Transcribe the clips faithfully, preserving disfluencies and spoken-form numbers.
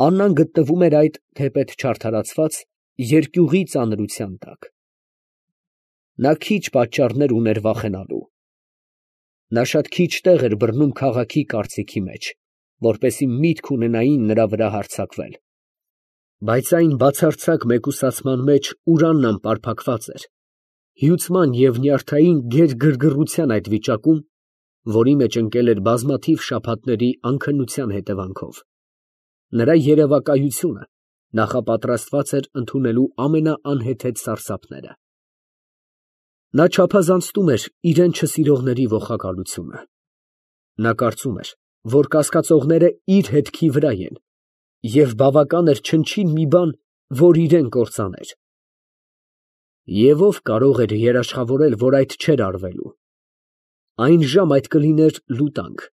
Աննան գտնվում էր այդ թեպետ չարդարացված երկյուղի ծանրության տակ. նա քիչ պատճառներ ուներ վախենալու. նա շատ քիչ տեղ էր բռնում քաղաքի կարծիքի մեջ, որպեսզի միտք ունենային նրա վրա հարձակվել, բայց այն բացարձակ մեկուսացման մեջ, ուր Աննան պարփակված էր, հյուծման և նյարդային գեր֊գրգռության այդ վիճակում, որի մեջ ընկել էր բազմաթիվ շաբաթների անքնության հետևանքով, նրա երևակայությունը նախապատրաստված էր ընդունելու ամենաանհեթեթ սարսափները։ Նա չափազանցնում էր իրան չսիրողների ողակալությունը։ Նա կարծում էր, որ կասկածողները իր հետքի վրա են, և բավական էր չնչին մի բան, որ իրան կործաներ։ Եվ ո՞վ կարող էր երաշխավորել, որ այդ չէր արվելու։ Այն ժամ այդ կլիներ լուտանք,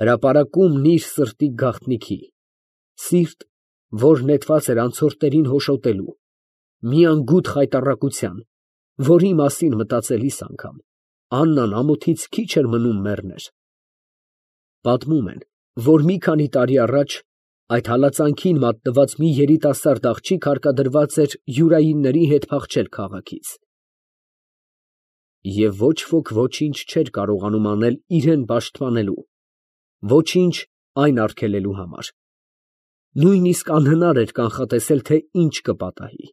հրապարակումն իր սրտի գաղտնիքի, սիրտ, որ նետված էր անցորդներին հոշոտելու, մի անգութ խայտառակության, որի մասին մտածելիս անգամ Աննան ամոթից քիչ էր մնում մեռներ։ Պատմում են, որ մի քանի տարի առաջ այդ հալածանքին մատնված մի երիտասարդ աղջիկ հարկադրված էր յուրայինների հետ փախչել քաղաքից։ Եվ ոչ ոք ոչինչ չէր կարողանում անել իրան պաշտպանելու, ոչինչ այն արգելելու համար։ Նույնիսկ անհնար էր կանխատեսել, թե ինչ կպատահի։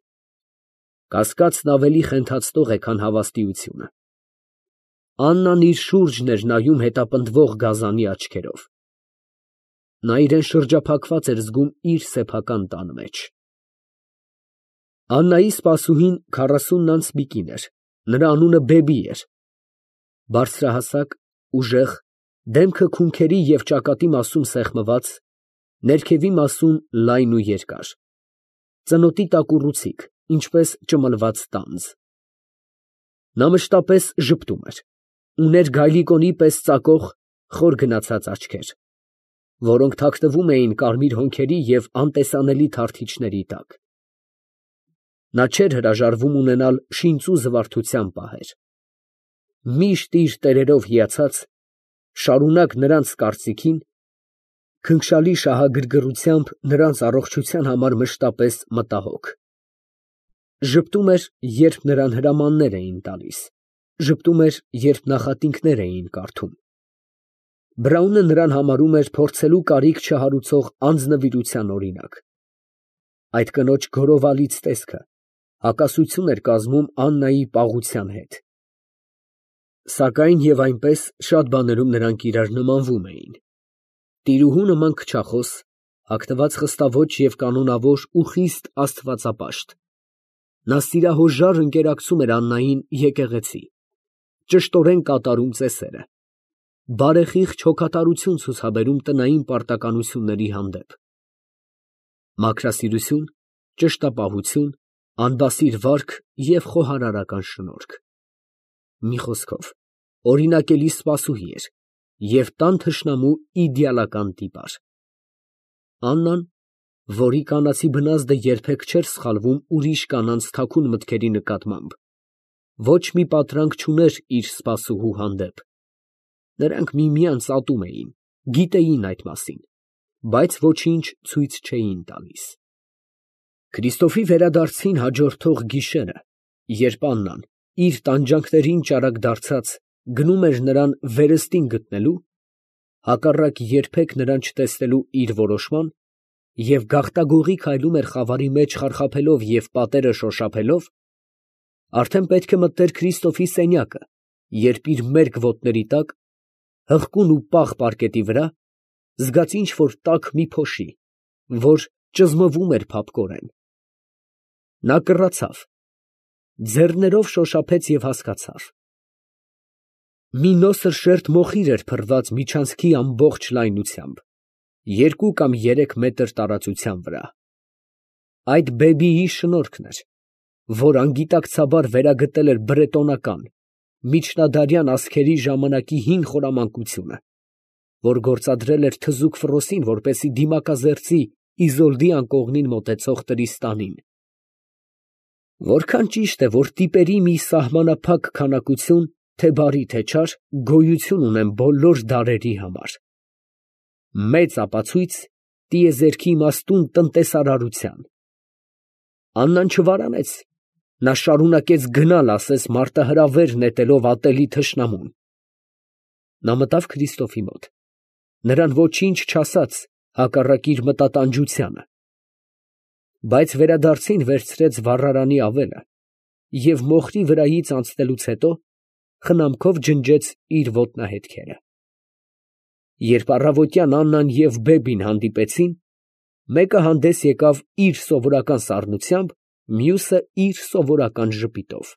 Կասկածն ավելի խենթացնող է, քան հավաստիությունը։ Աննան իր շուրջն էր նայում հետապնդվող գազանի աչքերով։ Նա իրան շրջափակված էր զգում իր սեփական տան մեջ։ Աննայի սպասուհին քառասունն անց մի կին էր, նրա անունը Բեբի էր, բարձրահասակ, ուժեղ, դեմքը քունքերի և ճակատի մասում սեղմված, ներքևի մասում լայն ու երկար, ծնոտի տակ ուռուցիկ, ինչպես ճմլված տանձ։ Նա մշտապես ժպտում էր, ուներ գայլիկոնի պես ծակող, խոր գնացած աչքեր, որոնք թաքնվում էին կարմիր հոնքերի և անտեսանելի թարթիչների տակ։ Նա չէր հրաժարվում ունենալ շինծու զվարթության պահեր։ Միշտ իր տերերով հիացած, շարունակ նրանց կարծիքին, քնքշալի շահագրգռությամբ նրանց առողջության համար մշտապես մտահոգ։ Ժպտում էր, երբ նրան հրամաններ էին տալիս, ժպտում էր, երբ նախատինքներ էին կարդում։ Բրաունը նրան համարում էր փորձելու կարիք չհարուցող անձնվիրության օրինակ։ Այդ կնոջ գորովալից տեսքը հակասություն էր կազմում Աննայի պաղության հետ։ Սակայն և այնպես շատ բաներում նրանք իրար նմանվում էին։ Տիրուհու նման քչախոս, հագնված խստաոճ և կանոնավոր ու խիստ աստվածապաշտ, նա սիրահոժար ընկերակցում էր Աննային եկեղեցի, ճշտորեն կատարում ծեսերը, բարեխիղճ հոգատարություն ցուցաբերում տնային պարտականությունների հանդեպ։ Մաքրասիրություն, ճշտապահություն, անբասիր վարք և խոհարարական շնորհք։ Մի խոսքով, օրինակելի սպասուհի էր և տան թշնամու իդեալական տիպար։ Աննան, որի կանացի բնազդը երբեք չէր սխալվում ուրիշ կանանց թաքուն մտքերի նկատմամբ, ոչ մի պատրանք չուներ իր սպասուհու հանդեպ։ Նրանք միմյանց ատում էին, գիտեին այդ մասին, բայց ոչինչ ցույց չէին տալիս։ Քրիստոֆի վերադարձին հաջորդող գիշերը, երբ Աննան, իր տանջանքներին ճարակ դարձած, գնում էր նրան վերստին գտնելու, հակառակ երբեք նրան չտեսնելու իր որոշման, և գաղտագողի քայլում էր խավարի մեջ խարխափելով և պատերը շոշափելով, արդեն պետք է մտներ Քրիստոֆի սենյակը, երբ իր մերկ ոտների տակ, հղկուն ու պաղ պարկետի վրա, զգաց ինչ֊որ տաք մի փոշի, որ ճզմվում էր փափկորեն։ Նա կռացավ, ձեռներով շոշափեց և հասկացավ. մի նոսր շերտ մոխիր էր փռված միջանցքի ամբողջ լայնությամբ, երկու կամ երեք մետր տարածության վրա։ Այդ Բեբիի շնորհքն էր, որ անգիտակցաբար վերագտել էր բրետոնական, միջնադարյան ազգերի ժամանակի հին խորամանկությունը, որ գործադրել էր թզուկ Ֆրոսին, որպեսզի դիմակազերծի Իզոլդի անկողնին մոտեցող Տրիստանին։ Որքան ճիշտ է, որ տիպերի մի սահմանափակ քանակություն, թե բարի, թե չար, գոյություն ունեն բոլոր դարերի համար։ Մեծ ապացույց, տիեզերքի իմաստուն տնտեսարարության։ Աննան չվարանեց, նա շարունակեց գնալ ասես մարտահրավեր նետելով ատելի թշնամուն։ Նա մտավ Քրիստոֆի մոտ, նրան ոչինչ չասաց հակառակ իր մտատանջությանը, բայց վերադարձին վերցրեց վառարանի ավելը և մոխրի վրայից անցնելուց հետո խնամքով ջնջեց իր ոտնահետքերը։ Երբ առավոտյան Աննան և Բեբին հանդիպեցին, մեկը հանդես եկավ իր սովորական սառնությամբ, մյուսը իր սովորական ժպիտով։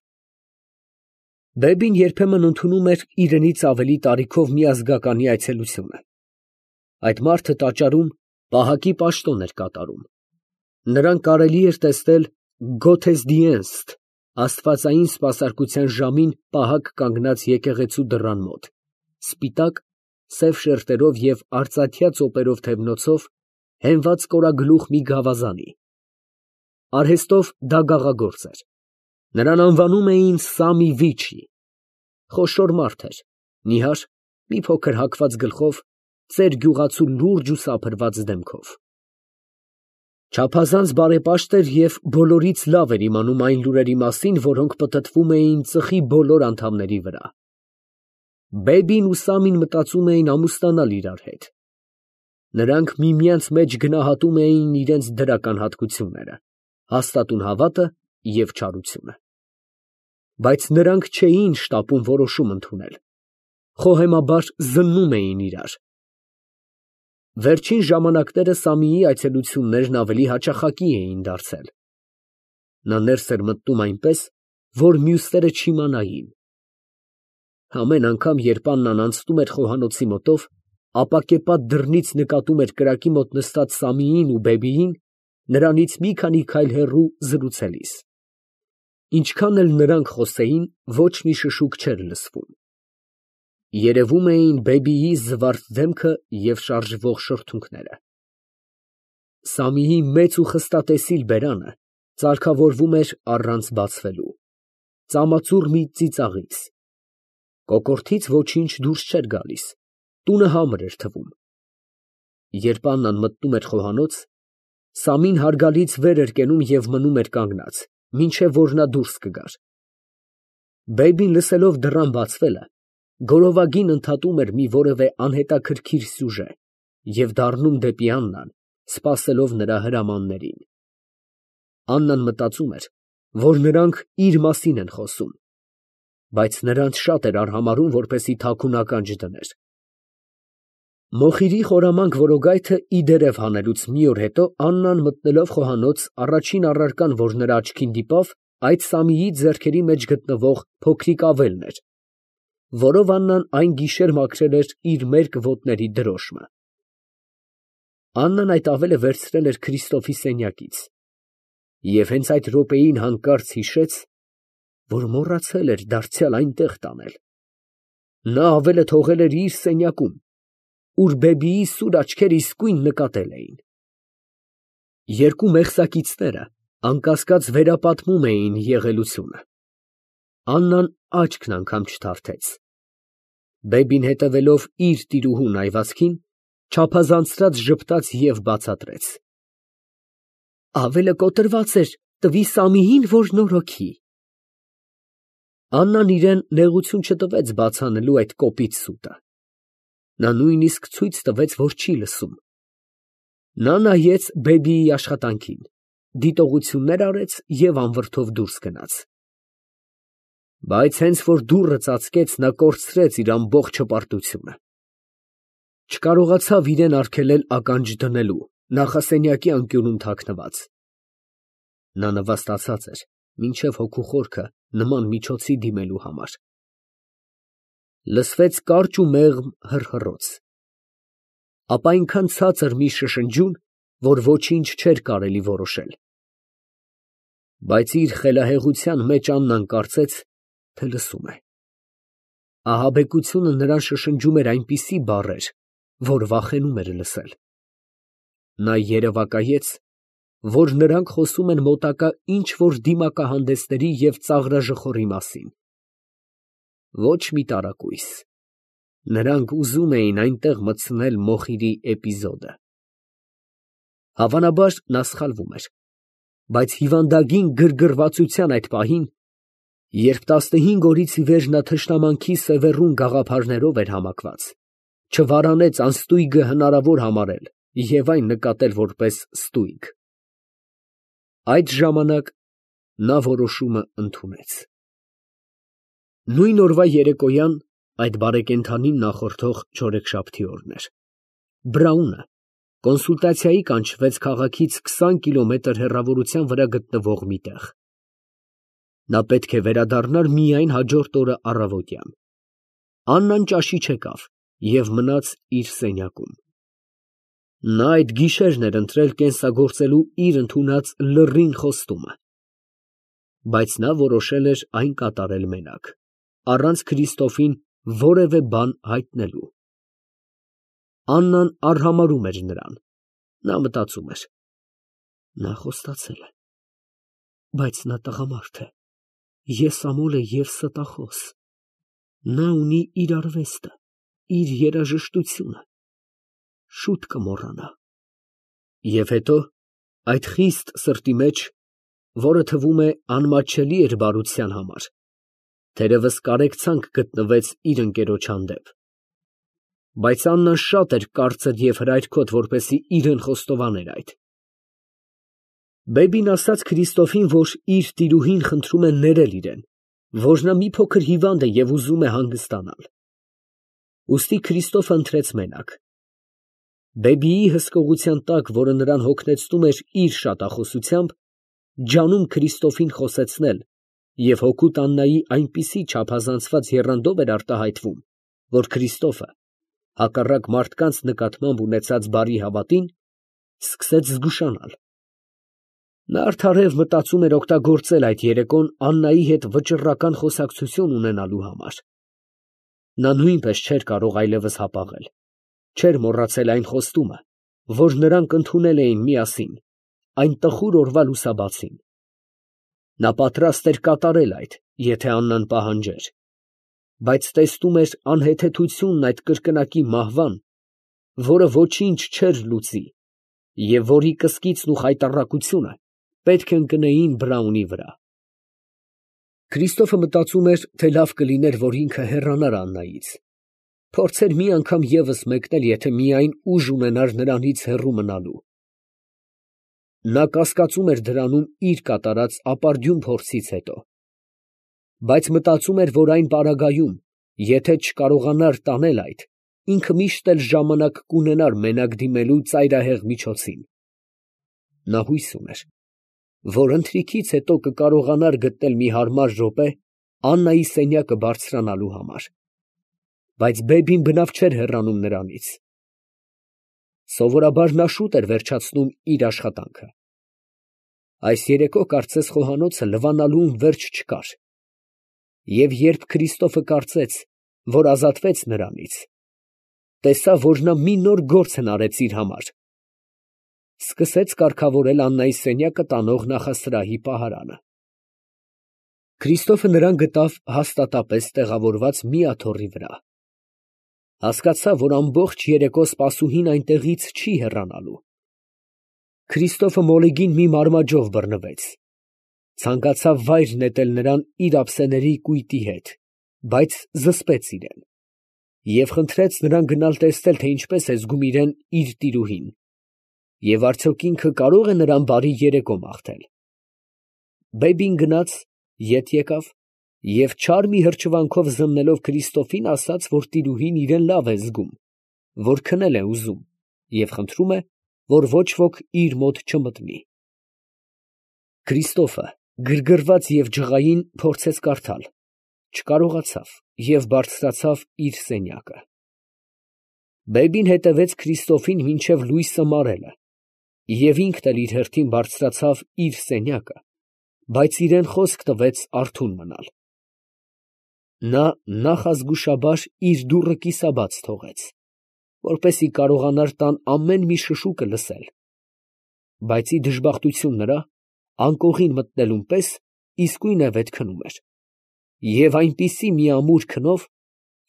Բեբին երբեմն ընդունում էր իրենից ավելի տարիքով մի ազգականի այցելությունը։ Այդ մարդը տաճարում պահակի պաշտոն էր կատարում։ Նրան կարելի էր տեսնել գոթեզդիենստ աստվածային սպասարկության ժամին պահակ կանգնած եկեղեցու դռան մոտ, սպիտակ, սև շերտերով և արծաթյա ծոպերով թևնոցով հենված կորագլուխ մի գավազանի։ Արհեստով դա գաղագործ էր։ Նրան անվանում էին Սամի Վիչի։ Խոշոր մարդ էր, նիհար, մի փոքր հագված գլխով, ծեր գյուղացու լուրջ ու սափրված դեմքով։ Չափազանց բարեպաշտ էր և բոլորից լավ էր իմանում այն լուրերի մասին, որոնք պտտվում էին ծխի բոլոր անդամների վրա։ Բեբին ու Սամին մտածում էին ամուսնանալ իրար հետ։ Նրանք միմյանց մեջ գնահատում էին իրենց դրական հատկությունները, հաստատուն հավատը և չարությունը։ Բայց նրանք չէին շտապում որոշում ընդունել, խոհեմաբար զննում էին իրար։ Վերջին ժամանակները Սամիի այցելություններն ավելի հաճախակի էին դարձել։ Նա ներս էր մտնում այնպես, որ մյուսները չիմանային։ Ամեն անգամ, երբ Աննան անցնում էր խոհանոցի մոտով, ապակեպատ դռնից նկատում էր կրակի մոտ նստած Սամիին ու Բեբիին, նրանից մի քանի քայլ հեռու զրուցելիս։ Ինչքան էլ նրանք խոսեին, ոչ մի շշուկ չէր լսվում։ Երևում էին Բեբիի զվարթ դեմքը և շարժվող շրթունքները։ Սամիի մեծ ու խստատեսիլ բերանը ծալքավորվում էր առանց բացվելու, ծամածուռ մի ծիծաղից։ Կոկորդից ոչինչ դուրս չէր գալիս, տունը համր էր թվում։ Երբ Աննան մտնում էր խոհանոց, Սամին հարգալից վեր էր կենում և մնում էր կանգնած, մինչև որ նա դուրս կգար։ Բեբին, լսելով դռան բացվելը, գորովագին ընդհատում էր մի որևէ անհետաքրքիր սյուժե և դառնում դեպի Աննան, սպասելով նրա հրամաններին։ Աննան մտածում էր, որ նրանք իր մասին են խոսում, բայց նրանց շատ էր արհամարհում, որպեսզի թաքուն ականջ դներ։ Մոխիրի խորամանկ որոգայթը ի դերև հանելուց մի օր հետո Աննան, մտնելով խոհանոց, առաջին առարկան, որ նրա աչքին դիպավ, այդ Սամիի ձեռքերի մեջ գտնվող փոքրիկ ավելն էր, որով Աննան այն գիշեր մաքրել էր իր մերկ ոտների դրոշմը։ Աննան այդ ավելը վերցրել էր Քրիստոֆի սենյակից և հենց այդ րոպեին հանկարծ հիշեց, որ մոռացել էր դարձյալ այնտեղ տանել։ Նա ավելը թողել էր իր սենյակում, ուր Բեբիի սուր աչքերը իսկույն նկատել էին։ Երկու մեղսակիցները անկասկած վերապատմում էին եղելությունը։ Աննան աչքն անգամ չթարթեց։ Բեբին, հետևելով իր տիրուհուն այվածքին, չափազանցրած ժպտաց և բացատրեց. Ավելը կոտրված էր, տվի Սամիին, որ նորոգի։ Աննան իրան նեղություն չտվեց բաց անելու այդ կոպիտ սուտը։ Նա նույնիսկ ցույց տվեց, որ չի լսում։ Նա նայեց Բեբիի աշխատանքին, դիտողություններ արեց և անվրդով դուրս գնաց։ Բայց հենց որ դուռը ծածկեց, նա կորցրեց իր ամբողջ հպարտությունը։ Չկարողացավ իրան արգելել ականջ դնելու նախասենյակի անկյունում թաքնված։ Նա նվաստացած էր մինչև հոգու խորքը նման միջոցի դիմելու համար։ Լսվեց կարճ ու մեղմ հռհռոց, ապա այնքան ցածր մի շշնջյուն, որ ոչինչ չէր կարելի որոշել։ Բայց իր խելահեղության մեջ Աննան կարծեց, թե լսում է։ Ահաբեկությունը նրան շշնջում էր այնպիսի բառեր, որ վախենում էր լսել։ Նա երևակայեց, որ նրանք խոսում են մոտակա ինչ֊որ դիմակահանդեսների և ծաղրաժխորի մասին։ Ոչ մի տարակույս։ Նրանք ուզում էին այնտեղ մտցնել Մոխիրի էպիզոդը։ Հավանաբար նա սխալվում էր, բայց հիվանդագին գրգռվածության այդ պահին, երբ տասնհինգ օրից ի վեր նա թշնամանքի սևեռուն գաղափարներով էր համակված, չվարանեց անստույգը հնարավոր համարել և այն նկատել որպես ստույգ։ Այդ ժամանակ նա որոշումը ընդունեց։ Նույն օրվա երեկոյան այդ բարեկենդանին նախորդող չորեքշաբթի օրն էր։ Բրաունը կոնսուլտացիայի կանչվեց քաղաքից քսան կիլոմետր հեռավորության վրա գտնվող մի տեղ։ Նա պետք է վերադառնար միայն հաջորդ օրը առավոտյան։ Աննան ճաշի չեկավ և մնաց իր սենյակում։ Նա այդ գիշերն էր ընտրել կենսագործելու իր ընդունած լռին խոստումը, բայց նա որոշել էր այն կատարել մենակ, առանց Քրիստոֆին որևէ բան հայտնելու։ Աննան արհամարհում էր նրան։ Նա մտածում էր. նա խոստացել է, բայց նա տղամարդ է, եսամոլ է և ստախոս։ Նա ունի իր արվեստը, իր երաժշտությունը, շուտ կմոռանա։ Եվ հետո այդ խիստ սրտի մեջ, որը թվում է անմատչելի էր բարության համար, թերևս կարեկցանք գտնվեց իր ընկերոջ հանդեպ։ Բայց Աննան շատ էր կարծր և հրայրքոտ, որպեսզի իրեն խոստովաներ այդ։ Բեբին ասաց Քրիստոֆին, որ իր տիրուհին խնդրում է ներել իրեն, որ նա մի փոքր հիվանդ է և ուզում է հանգստանալ։ Ուստի Քրիստոֆը ընտրեց մենակ։ Բեբիի հսկողության տակ, որը նրան հոգնեցնում էր իր շատախոսությամբ, ջանում Քրիստոֆին խոսեցնել և հօգուտ Աննայի այնպիսի չափազանցված եռանդով էր արտահայտվում, որ Քրիստոֆը, հակառակ մարդկանց նկատմամբ ունեցած բարի հավատին, սկսեց զգուշանալ։ Նա արդարև մտածում էր օգտագործել այդ երեկոն Աննայի հետ վճռական խոսակցություն ունենալու համար։ Նա նույնպես չէր կարող այլևս հապաղել, չէր մոռացել այն խոստումը, որ նրանք ընդունել էին միասին, այն տխուր օրվա լուսաբացին։ Նա պատրաստ էր կատարել այդ, եթե Աննան պահանջեր, բայց տեսնում էր անհեթեթությունն այդ կրկնակի մահվան, որը ոչինչ չէր լուծի և որի կսկիծն ու խայտառակությունը պետք է ընկնեին Բրաունի վրա։ Քրիստոֆը մտածում էր, թե լավ կլիներ, որ ինքը հեռանար Աննայից, փորձեր մի անգամ ևս մեկնել, եթե միայն ուժ ունենար նրանից հեռու մնալու։ Նա կասկածում էր դրանում իր կատարած ապարդյուն փորձից հետո, բայց մտածում էր, որ այն պարագայում, եթե չկարողանար տանել այդ, ինքը միշտ էլ ժամանակ կունենար մենակ դիմելու ծայրահեղ միջոցին։ Նա հույս ուներ, որ ընթրիքից հետո կկարողանար գտնել մի հարմար րոպե Աննայի սենյակը բարձրանալու համար, բայց բեբին բնավ չէր հեռանում նրանից։ Սովորաբար նա շուտ էր վերջացնում իր աշխատանքը։ Այս երեկո կարծես խոհանոցը լվանալուն վերջ չկար, և երբ Քրիստոֆը կարծեց, որ ազատվեց նրանից, տեսավ, որ նա մի նոր գործ հնարեց իր համար, սկսեց կարգավորել Աննայի սենյակը տանող նախասրահի պահարանը։ Քրիստոֆը նրան գտավ հաստատապես տեղավորված մի աթոռի վրա։ Հասկացավ, որ ամբողջ երեկո սպասուհին այնտեղից չի հեռանալու։ Քրիստոֆը մոլեգին մի մարմաջով բռնվեց, ցանկացավ վայր նետել նրան իր ափսեների կույտի հետ, բայց զսպեց իրեն և խնդրեց նրան գնալ տեսնել, թե ինչպես է զգում իրեն իր տիրուհին, և արդյոք ինքը կարող է նրան բարի երեկո մաղթել։ Բեբին գնաց, ետ եկավ և չար մի հրճվանքով զննելով Քրիստոֆին, ասաց, որ տիրուհին իրեն լավ է զգում, որ քնել է ուզում և խնդրում է, որ ոչ ոք իր մոտ չմտնի։ Քրիստոֆը, գրգռված և ջղային, փորձեց կարդալ, չկարողացավ և բարձրացավ իր սենյակը։ Բեբին հետևեց Քրիստոֆին մինչև լույսը մարելը և ինքն էլ իր հերթին բարձրացավ իր սենյակը, բայց իրան խոսք տվեց արթուն մնալ։ Նա նախազգուշաբար իր դուռը կիսաբաց թողեց, որպեսզի կարողանար տան ամեն մի շշուկը լսել, բայց ի դժբախտություն նրա, անկողին մտնելուն պես իսկույնևեթ քնում էր, և այնպիսի մի ամուր քնով,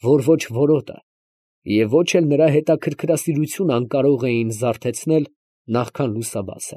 որ ոչ որոտը և ոչ էլ նրա հետաքրքրասիրությունը անկարող էին զարթեցնել նախքան լուսաբացը։